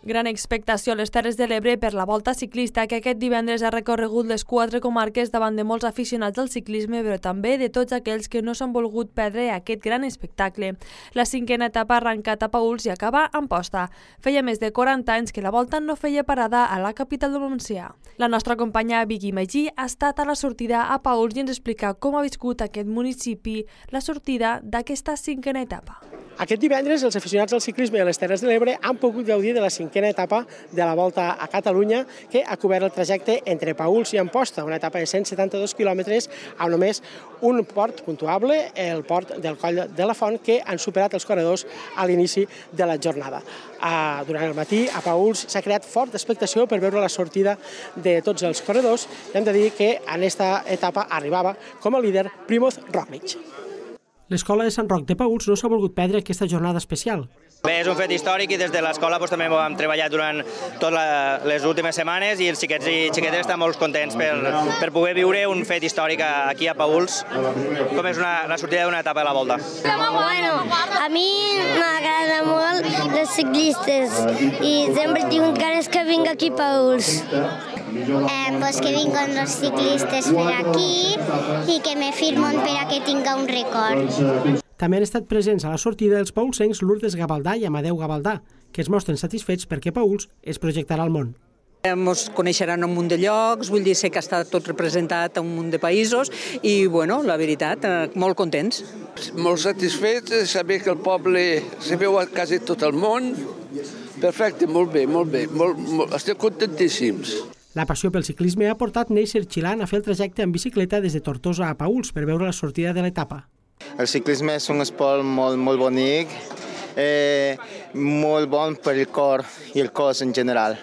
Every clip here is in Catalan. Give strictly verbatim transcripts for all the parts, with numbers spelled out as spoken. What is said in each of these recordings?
Gran expectació a les Terres de l'Ebre per la Volta Ciclista, que aquest divendres ha recorregut les quatre comarques davant de molts aficionats del ciclisme, però també de tots aquells que no s'han volgut perdre aquest gran espectacle. La cinquena etapa arrenca a Paüls i acaba a Amposta. Feia més de quaranta anys que la Volta no feia parada a la capital del Montsià. La nostra companya Vicky Magí ha estat a la sortida a Paüls i ens explica com ha viscut aquest municipi la sortida d'aquesta cinquena etapa. Aquest divendres els aficionats al ciclisme a les Terres de l'Ebre han pogut gaudir de la cinquena etapa de la Volta a Catalunya, que ha cobert el trajecte entre Paüls i Amposta, una etapa de cent setanta-dos quilòmetres amb només un port puntuable, el port del Coll de la Font, que han superat els corredors a l'inici de la jornada. Durant el matí a Paüls s'ha creat forta expectació per veure la sortida de tots els corredors i hem de dir que en aquesta etapa arribava com a líder Primoz Roglič. L'escola de Sant Roc de Paüls no s'ha volgut perdre aquesta jornada especial. Bé, és un fet històric i des de l'escola doncs, també hem treballat durant totes les últimes setmanes i els xiquets i xiquetes estan molt contents per, per poder viure un fet històric aquí a Paüls, com és una, la sortida d'una etapa de la Volta. Bueno, a mi m'agrada molt les ciclistes i sempre tinc ganes que vinc aquí a Paüls. Eh, pues que vinguin els ciclistes per aquí i que me firmen per a que tinga un record. També han estat presents a la sortida els paülsencs Lourdes Gavaldà i Amadeu Gavaldà, que es mostren satisfets perquè Paüls es projectarà al món. Ens coneixeran un munt de llocs, vull dir, sé que està tot representat a un munt de països i, bueno, la veritat, molt contents. Molt satisfets de saber que el poble se veu a quasi tot el món. Perfecte, molt bé, molt bé, molt, molt, estem contentíssims. La passió pel ciclisme ha portat Neisser Chilan a fer el trajecte en bicicleta des de Tortosa a Paüls per veure la sortida de l'etapa. El ciclisme és un esport molt, molt bonic, eh, molt bon per el cor i el cos en general.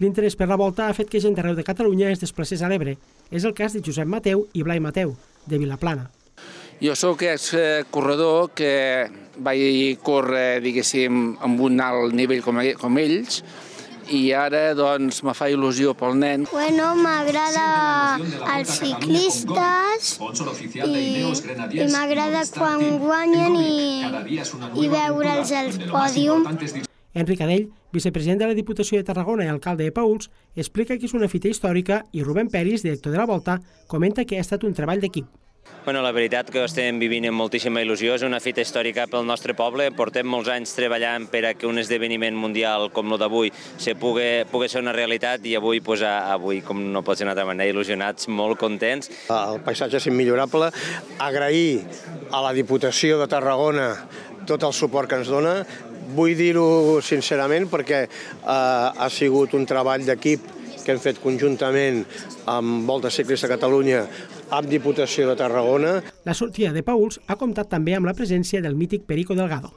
L'interès per la Volta ha fet que gent d'arreu de Catalunya es desplacés a l'Ebre. És el cas de Josep Mateu i Blai Mateu, de Vilaplana. Jo sóc corredor que vaig córrer, diguéssim, amb un alt nivell com, com ells, i ara doncs me fa il·lusió pel nen. Bueno, m'agrada els ciclistes i, i m'agrada quan guanyen i, i veure'ls al pòdium. Enric Adell, vicepresident de la Diputació de Tarragona i alcalde de Paüls, explica que és una fita històrica i Rubén Peris, director de la Volta, comenta que ha estat un treball d'equip. Bueno, la veritat que ho estem vivint amb moltíssima il·lusió, és una fita històrica pel nostre poble, portem molts anys treballant per a que un esdeveniment mundial com el d'avui se pugui, pugui ser una realitat i avui, pues, avui, com no pot ser d'una altra manera, il·lusionats, molt contents. El paisatge és immillorable, agrair a la Diputació de Tarragona tot el suport que ens dona, vull dir-ho sincerament perquè eh, ha sigut un treball d'equip que hem fet conjuntament amb Volta Ciclista Catalunya, amb Diputació de Tarragona. La sortida de Paüls ha comptat també amb la presència del mític Perico Delgado.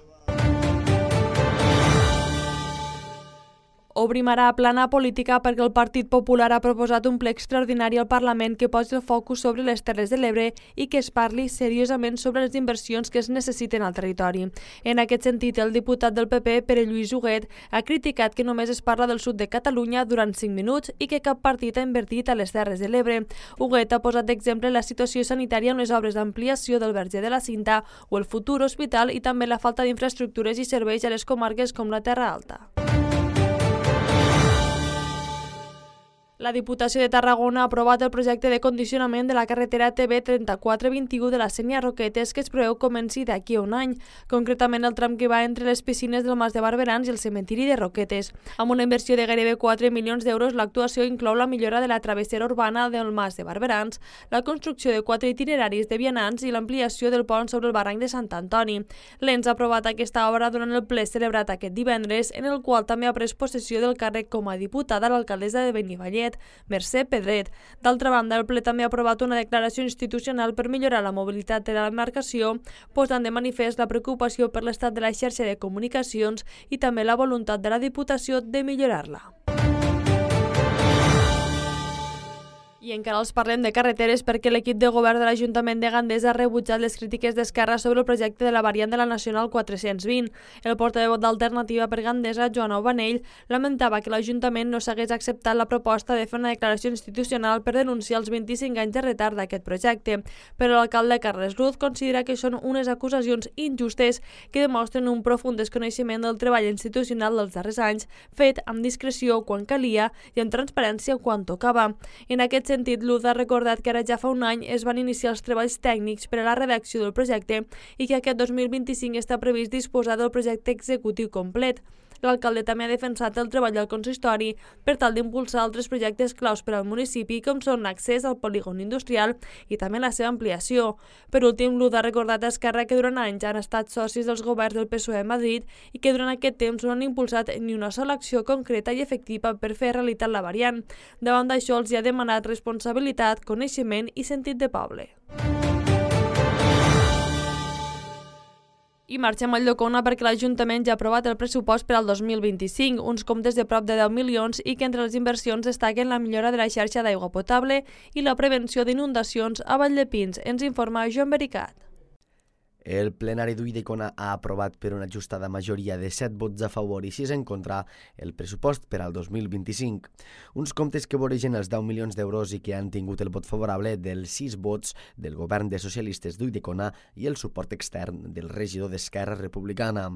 Obrim ara a plana política perquè el Partit Popular ha proposat un ple extraordinari al Parlament que posi el focus sobre les Terres de l'Ebre i que es parli seriosament sobre les inversions que es necessiten al territori. En aquest sentit, el diputat del P P, Pere Lluís Huguet, ha criticat que només es parla del sud de Catalunya durant cinc minuts i que cap partit ha invertit a les Terres de l'Ebre. Huguet ha posat d'exemple la situació sanitària amb les obres d'ampliació del Verger de la Cinta o el futur hospital i també la falta d'infraestructures i serveis a les comarques com la Terra Alta. La Diputació de Tarragona ha aprovat el projecte de condicionament de la carretera T B trenta-quatre vint-i-u de la Sénia Roquetes que es preveu comenci d'aquí a un any, concretament el tram que va entre les piscines del Mas de Barberans i el cementiri de Roquetes. Amb una inversió de gairebé quatre milions d'euros, l'actuació inclou la millora de la travessera urbana del Mas de Barberans, la construcció de quatre itineraris de vianants i l'ampliació del pont sobre el barranc de Sant Antoni. L'Ens ha aprovat aquesta obra durant el ple celebrat aquest divendres, en el qual també ha pres possessió del càrrec com a diputada l'alcaldessa de Benifallet, Mercè Pedret. D'altra banda, el ple també ha aprovat una declaració institucional per millorar la mobilitat de la demarcació, posant de manifest la preocupació per l'estat de la xarxa de comunicacions i també la voluntat de la Diputació de millorar-la. I encara els parlem de carreteres perquè l'equip de govern de l'Ajuntament de Gandesa ha rebutjat les crítiques d'Esquerra sobre el projecte de la variant de la Nacional quatre-cents vint. El portaveu d'Alternativa per Gandesa, Joan Aubanell, lamentava que l'Ajuntament no s'hagués acceptat la proposta de fer una declaració institucional per denunciar els vint-i-cinc anys de retard d'aquest projecte. Però l'alcalde Carles Ruz considera que són unes acusacions injustes que demostren un profund desconeixement del treball institucional dels darrers anys, fet amb discreció quan calia i amb transparència quan tocava. En aquest sentit, Luz ha recordat que ara ja fa un any es van iniciar els treballs tècnics per a la redacció del projecte i que aquest dos mil vint-i-cinc està previst disposar del projecte executiu complet. L'alcalde també ha defensat el treball del consistori per tal d'impulsar altres projectes claus per al municipi, com són l'accés al polígon industrial i també la seva ampliació. Per últim, Luz ha recordat a Esquerra que durant anys han estat socis dels governs del P S O E a Madrid i que durant aquest temps no han impulsat ni una sola acció concreta i efectiva per fer realitat la variant. Davant d'això, els hi ha demanat responsabilitat, coneixement i sentit de poble. I marxem a Llocona perquè l'Ajuntament ja ha aprovat el pressupost per al dos mil vint-i-cinc, uns comptes de prop de deu milions i que entre les inversions destaquen la millora de la xarxa d'aigua potable i la prevenció d'inundacions a Valldepins. Ens informa Joan Bericat. El plenari d'Ulldecona ha aprovat per una ajustada majoria de set vots a favor i sis en contra el pressupost per al dos mil vint-i-cinc. Uns comptes que voregen els deu milions d'euros i que han tingut el vot favorable dels sis vots del govern de socialistes d'Ulldecona i el suport extern del regidor d'Esquerra Republicana.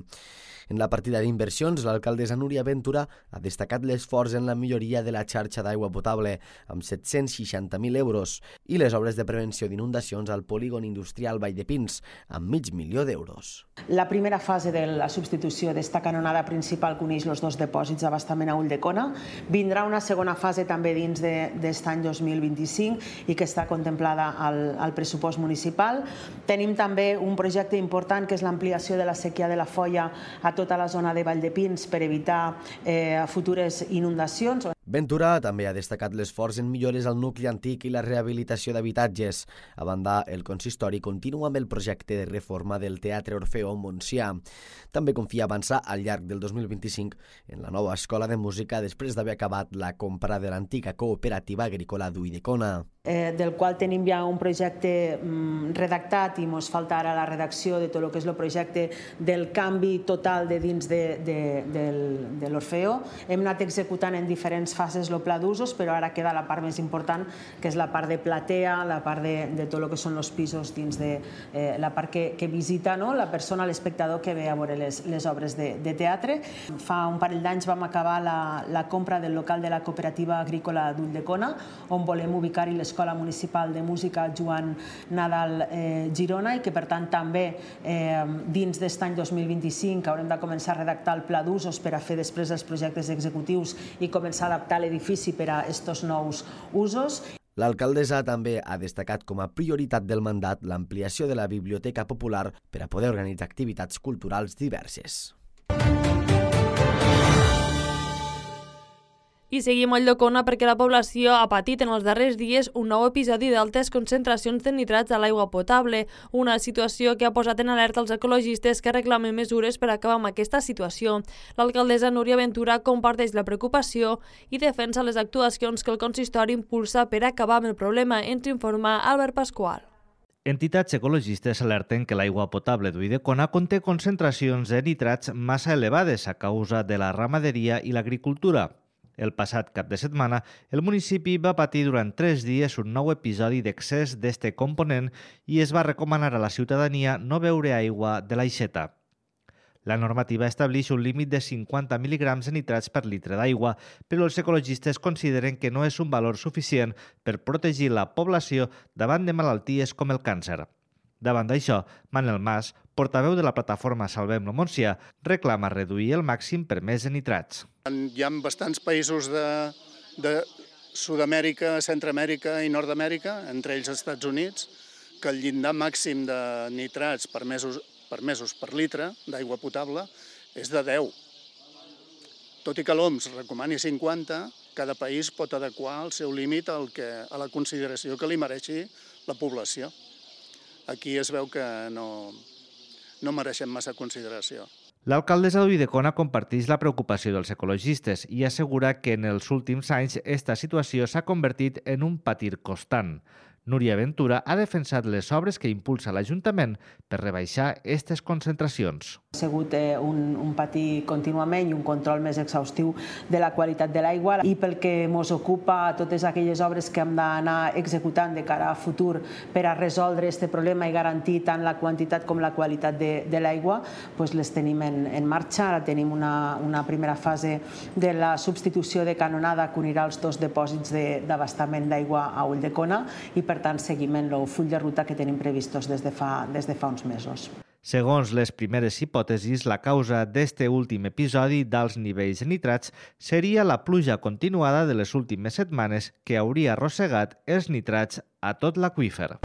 En la partida d'inversions, l'alcaldessa Núria Ventura ha destacat l'esforç en la milloria de la xarxa d'aigua potable, amb set-cents seixanta mil euros, i les obres de prevenció d'inundacions al polígon industrial Valldepins, amb mig milió d'euros. La primera fase de la substitució d'esta canonada principal que uneix els dos dipòsits d'abastament a Ulldecona. Vindrà una segona fase també dins d'aquest any dos mil vint-i-cinc i que està contemplada al, al pressupost municipal. Tenim també un projecte important que és l'ampliació de la séquia de la Foia a tota la zona de Valldepins per evitar eh, futures inundacions. Ventura també ha destacat l'esforç en millores al nucli antic i la rehabilitació d'habitatges. A banda, el consistori continua amb el projecte de reforma del Teatre Orfeó Montsià. També confia avançar al llarg del dos mil vint-i-cinc en la nova escola de música després d'haver acabat la compra de l'antiga cooperativa agrícola d'Ulldecona. Eh, del qual tenim ja un projecte mm, redactat i ens falta ara la redacció de tot el que és el projecte del canvi total de dins de, de, del, de l'Orfeó. Hem anat executant en diferents fases el pla d'usos, però ara queda la part més important, que és la part de platea, la part de, de tot el que són els pisos dins de eh, la part que, que visita, no? La persona, l'espectador que ve a veure les, les obres de, de teatre. Fa un parell d'anys vam acabar la, la compra del local de la cooperativa agrícola d'Ulldecona, on volem ubicar-hi l'Escola Municipal de Música Joan Nadal eh, Girona i que per tant també eh, dins d'aquest any dos mil vint-i-cinc haurem de començar a redactar el pla d'usos per a fer després els projectes executius i començar a adaptar l'edifici per a aquests nous usos. L'alcaldessa també ha destacat com a prioritat del mandat l'ampliació de la Biblioteca Popular per a poder organitzar activitats culturals diverses. I seguim a Llocona perquè la població ha patit en els darrers dies un nou episodi d'altes concentracions de nitrats a l'aigua potable, una situació que ha posat en alerta els ecologistes que reclamen mesures per acabar amb aquesta situació. L'alcaldessa Núria Ventura comparteix la preocupació i defensa les actuacions que el consistori impulsa per acabar amb el problema, ens informa Albert Pasqual. Entitats ecologistes alerten que l'aigua potable d'Ulldecona conté concentracions de nitrats massa elevades a causa de la ramaderia i l'agricultura. El passat cap de setmana, el municipi va patir durant tres dies un nou episodi d'excés d'este component i es va recomanar a la ciutadania no beure aigua de l'aixeta. La normativa estableix un límit de cinquanta mil·ligrams de nitrats per litre d'aigua, però els ecologistes consideren que no és un valor suficient per protegir la població davant de malalties com el càncer. Davant d'això, Manel Mas, portaveu de la plataforma Salvem-lo Montsià, reclama reduir el màxim permès de nitrats. Hi ha bastants països de, de Sud-amèrica, Centroamèrica i Nord-amèrica, entre ells els Estats Units, que el llindar màxim de nitrats permesos, permesos per litre d'aigua potable és de deu. Tot i que l'O M S recomani cinquanta, cada país pot adequar el seu límit al que, a la consideració que li mereixi la població. Aquí es veu que no, no mereixem massa consideració. L'alcaldessa d'Ulldecona comparteix la preocupació dels ecologistes i assegura que en els últims anys esta situació s'ha convertit en un patir constant. Núria Ventura ha defensat les obres que impulsa l'Ajuntament per rebaixar aquestes concentracions. Ha sigut un, un patir contínuament i un control més exhaustiu de la qualitat de l'aigua i pel que ens ocupa totes aquelles obres que hem d'anar executant de cara a futur per a resoldre aquest problema i garantir tant la quantitat com la qualitat de, de l'aigua, doncs les tenim en, en marxa. Ara tenim una, una primera fase de la substitució de canonada que unirà els dos depòsits d'abastament d'aigua a Ulldecona i per tant seguiment el full de ruta que tenim previstos des de fa, des de fa uns mesos. Segons les primeres hipòtesis, la causa d'este últim episodi d'alts nivells de nitrats seria la pluja continuada de les últimes setmanes que hauria arrossegat els nitrats a tot l'aqüífer.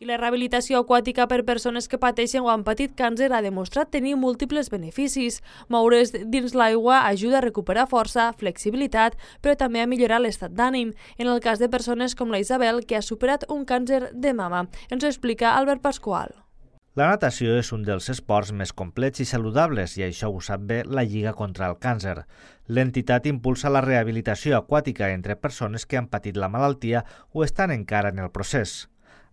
I la rehabilitació aquàtica per persones que pateixen o han patit càncer ha demostrat tenir múltiples beneficis. Moure's dins l'aigua ajuda a recuperar força, flexibilitat, però també a millorar l'estat d'ànim. En el cas de persones com la Isabel, que ha superat un càncer de mama. Ens ho explica Albert Pasqual. La natació és un dels esports més complets i saludables i això ho sap bé la Lliga contra el Càncer. L'entitat impulsa la rehabilitació aquàtica entre persones que han patit la malaltia o estan encara en el procés.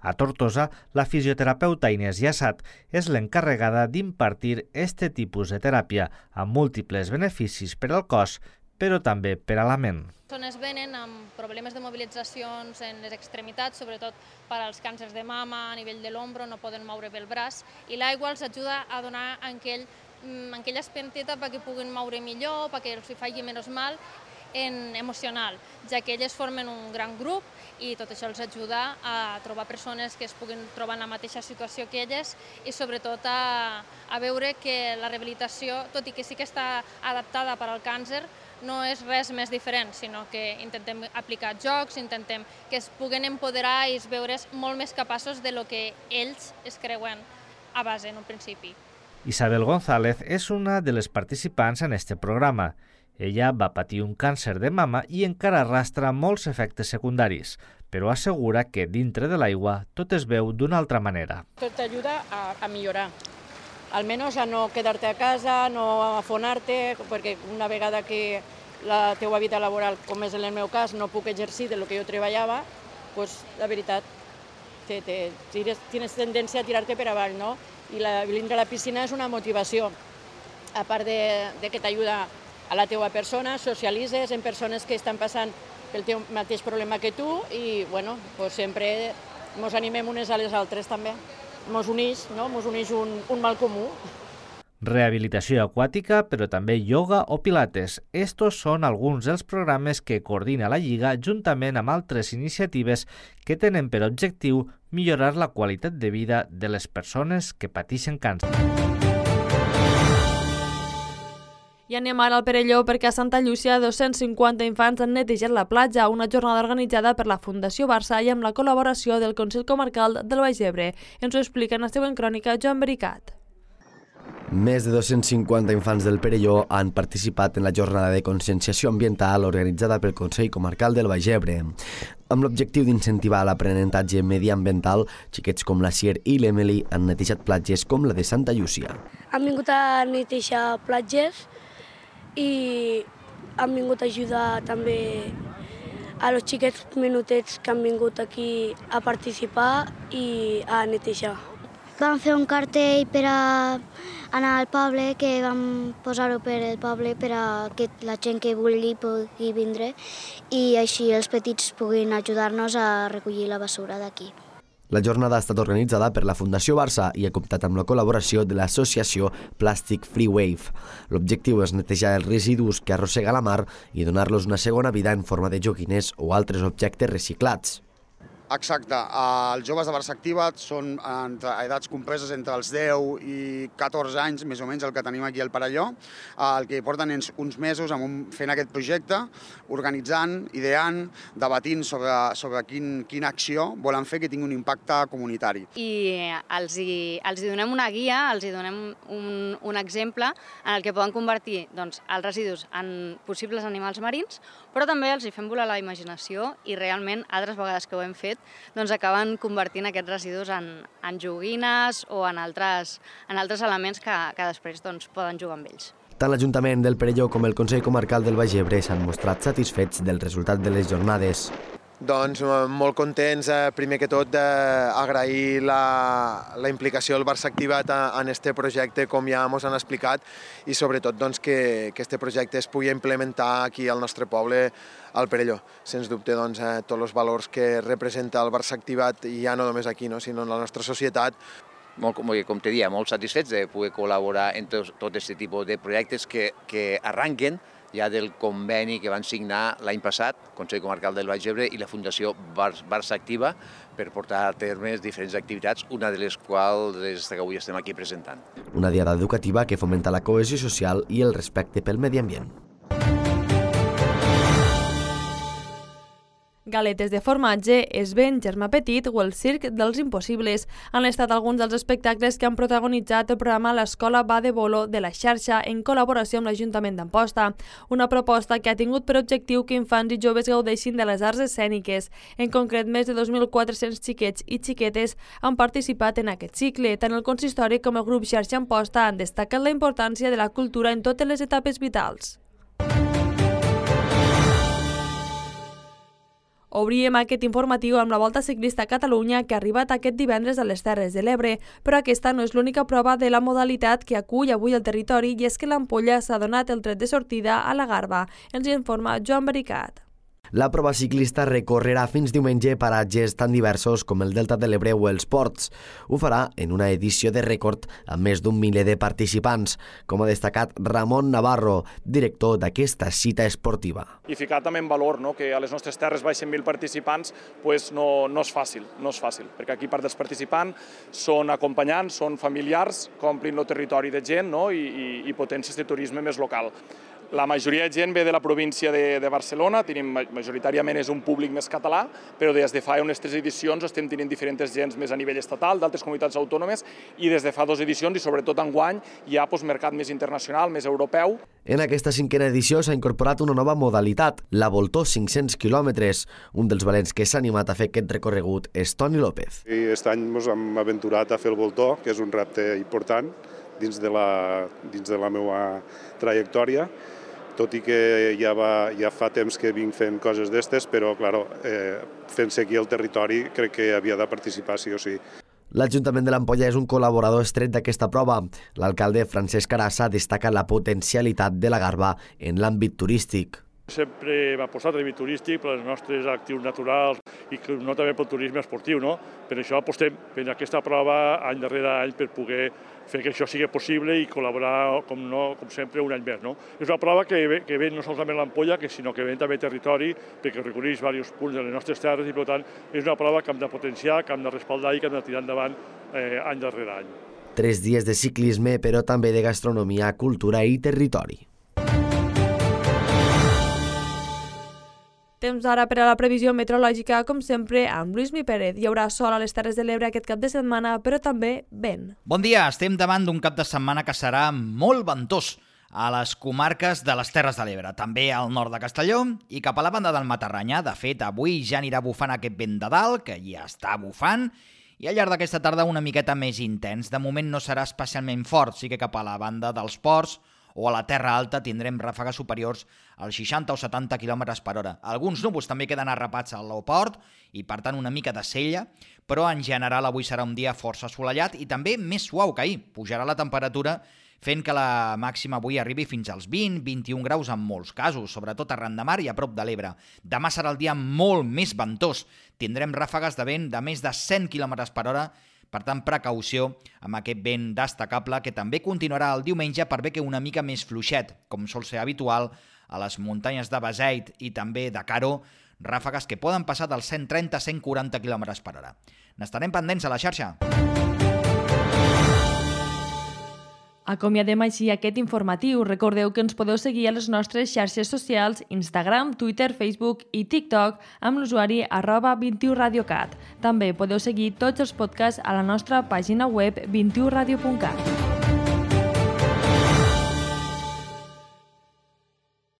A Tortosa, la fisioterapeuta Inés Yassat és l'encarregada d'impartir este tipus de teràpia amb múltiples beneficis per al cos, però també per a la ment. Les persones venen amb problemes de mobilitzacions en les extremitats, sobretot per als càncers de mama, a nivell de l'ombro, no poden moure bé el braç, i l'aigua els ajuda a donar aquell, aquella espenteta perquè puguin moure millor, perquè els faci menys mal, en emocional, ja que elles formen un gran grup i tot això els ajuda a trobar persones que es puguin trobar en la mateixa situació que elles i sobretot a, a veure que la rehabilitació, tot i que sí que està adaptada per al càncer, no és res més diferent, sinó que intentem aplicar jocs, intentem que es puguen empoderar i es veure's molt més capaços de lo que ells es creuen a base en un principi. Isabel González és una de les participants en este programa. Ella va patir un càncer de mama i encara arrastra molts efectes secundaris, però assegura que dintre de l'aigua tot es veu d'una altra manera. Tot t'ajuda a, a millorar, almenys a no quedar-te a casa, no afonar-te, perquè una vegada que la teua vida laboral, com és en el meu cas, no puc exercir de lo que jo treballava, doncs la veritat, te, te, tires, tienes tendència a tirar-te per avall, no? I la, vindre a la piscina és una motivació, a part de, de que t'ajuda a la teua persona, socialitzes amb persones que estan passant pel teu mateix problema que tu i, bueno, pues sempre ens animem unes a les altres també. Ens uneix, no? Ens uneix un, un mal comú. Rehabilitació aquàtica, però també ioga o pilates. Estos són alguns dels programes que coordina la Lliga juntament amb altres iniciatives que tenen per objectiu millorar la qualitat de vida de les persones que pateixen càncer. I anem ara al Perelló perquè a Santa Llúcia dos-cents cinquanta infants han netejat la platja, una jornada organitzada per la Fundació Barça i amb la col·laboració del Consell Comarcal del Baix Ebre. Ens ho explica en la següent crònica Joan Bericat. Més de dos-cents cinquanta infants del Perelló han participat en la jornada de conscienciació ambiental organitzada pel Consell Comarcal del Baix Ebre. Amb l'objectiu d'incentivar l'aprenentatge mediambiental, xiquets com la Sier i l'Emily han netejat platges com la de Santa Llúcia. Han vingut a netejar platges i han vingut a ajudar també a los xiquets menutets que han vingut aquí a participar i a netejar. Vam fer un cartell per a anar al poble, que vam posar-ho per al poble per a que la gent que vulgui pugui vindre i així els petits puguin ajudar-nos a recollir la basura d'aquí. La jornada ha estat organitzada per la Fundació Barça i ha comptat amb la col·laboració de l'associació Plastic Free Wave. L'objectiu és netejar els residus que arrossega la mar i donar-los una segona vida en forma de joguines o altres objectes reciclats. Exacte. Els joves de Barça Activa són entre edats compreses entre els deu i catorze anys, més o menys el que tenim aquí al Perelló. El que porten és uns mesos fent aquest projecte, organitzant, ideant, debatint sobre, sobre quin, quina acció volen fer que tingui un impacte comunitari. I els hi, els hi donem una guia, els hi donem un, un exemple en el que poden convertir doncs, els residus en possibles animals marins però també els hi fem volar la imaginació i realment, altres vegades que ho hem fet, doncs acaben convertint aquests residus en, en joguines o en altres, en altres elements que, que després doncs, poden jugar amb ells. Tant l'Ajuntament del Perelló com el Consell Comarcal del Baix Ebre s'han mostrat satisfets del resultat de les jornades. Doncs molt contents, primer que tot, d'agrair la, la implicació del Barça Activat en aquest projecte, com ja ens han explicat, i sobretot doncs, que aquest projecte es pugui implementar aquí al nostre poble, al Perelló. Sens dubte, doncs, tots els valors que representa el Barça Activat, i ja no només aquí, no, sinó en la nostra societat. Molt, com te dia, molt satisfets de poder col·laborar en tot, tot aquest tipus de projectes que, que arranquen ja del conveni que van signar l'any passat, Consell Comarcal del Baix Ebre i la Fundació Barça Activa, per portar a terme diferents activitats, una de les quals és que avui estem aquí presentant. Una diada educativa que fomenta la cohesió social i el respecte pel medi ambient. Galetes de formatge, Esvent, Germà Petit o el Circ dels Impossibles han estat alguns dels espectacles que han protagonitzat el programa L'Escola va de bolo de la xarxa en col·laboració amb l'Ajuntament d'Amposta, una proposta que ha tingut per objectiu que infants i joves gaudeixin de les arts escèniques. En concret, més de dos mil quatre-cents xiquets i xiquetes han participat en aquest cicle. Tant el consistori com el grup Xarxa Amposta han destacat la importància de la cultura en totes les etapes vitals. Obríem aquest informatiu amb la Volta Ciclista a Catalunya que ha arribat aquest divendres a les Terres de l'Ebre, però aquesta no és l'única prova de la modalitat que acull avui el territori i és que l'Ampolla s'ha donat el tret de sortida a la Garba. Ens informa Joan Baricat. La prova ciclista recorrerà fins diumenge paratges tan diversos com el Delta de l'Ebre o els Ports. Ho farà en una edició de rècord amb més d'un miler de participants, com ha destacat Ramon Navarro, director d'aquesta cita esportiva. I ficar també en valor no, que a les nostres terres baixen mil participants pues no, no és fàcil, no és fàcil, perquè aquí part dels participants són acompanyants, són familiars, que omplin el territori de gent no, i, i, i potències de turisme més local. La majoria de gent ve de la província de, de Barcelona, tenim, majoritàriament és un públic més català, però des de fa unes tres edicions estem tenint diferents gens més a nivell estatal, d'altres comunitats autònomes, i des de fa dues edicions, i sobretot enguany, hi ha pues, mercat més internacional, més europeu. En aquesta cinquena edició s'ha incorporat una nova modalitat, la Voltó cinc-cents quilòmetres. Un dels valents que s'ha animat a fer aquest recorregut és Toni López. I aquest any ens hem aventurat a fer el Voltó, que és un repte important dins de la, dins de la meva trajectòria, tot i que ja, va, ja fa temps que vinc fent coses d'estes, però claro, eh, fent-se aquí al territori crec que havia de participar sí o sí. L'Ajuntament de l'Ampolla és un col·laborador estret d'aquesta prova. L'alcalde Francesc Arassa destaca la potencialitat de la Garba en l'àmbit turístic. Sempre va apostar a l'àmbit turístic per els nostres actius naturals i no també pel turisme esportiu. No? Per això apostem per aquesta prova any darrere any per poder fer que això sigui possible i col·laborar, com, no, com sempre, un any més. No? És una prova que ve, que ve no solament l'Ampolla, sinó que ve també territori, perquè recorreix diversos punts de les nostres terres i, per tant, és una prova que hem de potenciar, que hem de respaldar i que hem de tirar endavant eh, any darrere any. Tres dies de ciclisme, però també de gastronomia, cultura i territori. Temps ara per a la previsió meteorològica, com sempre, amb Lluís Mi Pérez. Hi haurà sol a les Terres de l'Ebre aquest cap de setmana, però també vent. Bon dia, estem davant d'un cap de setmana que serà molt ventós a les comarques de les Terres de l'Ebre, també al nord de Castelló i cap a la banda del Matarranya. De fet, avui ja anirà bufant aquest vent de dalt, que ja està bufant, i al llarg d'aquesta tarda una miqueta més intens. De moment no serà especialment fort, sí que cap a la banda dels ports o a la Terra Alta tindrem ràfegues superiors als seixanta o setanta quilòmetres per hora. Alguns núvols també queden arrapats al port i, per tant, una mica de cella, però en general avui serà un dia força assolellat i també més suau que ahir. Pujarà la temperatura fent que la màxima avui arribi fins als vint a vint-i-un graus en molts casos, sobretot arran de mar i a prop de l'Ebre. Demà serà el dia molt més ventós. Tindrem ràfegues de vent de més de cent quilòmetres per hora. Per tant, precaució amb aquest vent destacable que també continuarà el diumenge per bé que una mica més fluixet, com sol ser habitual a les muntanyes de Beseit i també de Caro, ràfegues que poden passar dels cent trenta a cent quaranta quilòmetres per hora. N'estarem pendents a la xarxa. Acomiadem així aquest informatiu. Recordeu que ens podeu seguir a les nostres xarxes socials, Instagram, Twitter, Facebook i TikTok amb l'usuari arroba vint i u radiocat. També podeu seguir tots els podcasts a la nostra pàgina web vint i u radio punt cat.